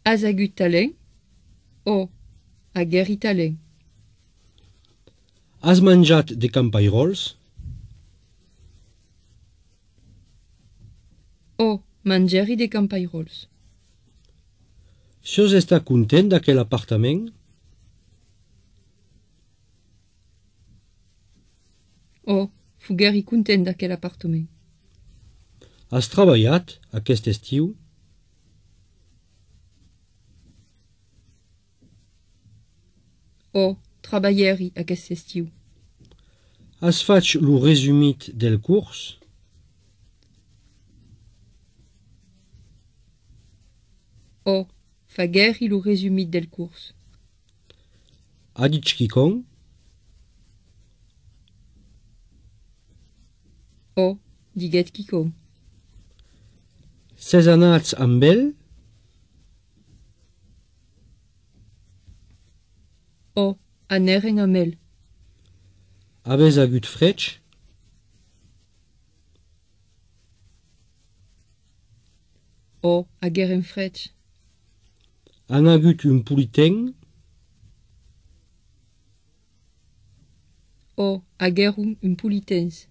Has agut talen? O hagueri talen? Has menjat de campairols? O mangeri de campairols? Sios està content d'aquell apartament? O fugueri content d'aquell apartament? Has treballat aquest estiu? O trabalheri aquest estiu? Has fatg lo resumit del curs? O fagueri lo resumit del curs? Ha dit quicon? O diguet quicon? Ses anats amb ell? O aneren amb ell? Avez agut fred? O hagueren fred? Han agut un politen? O haguerum un politens?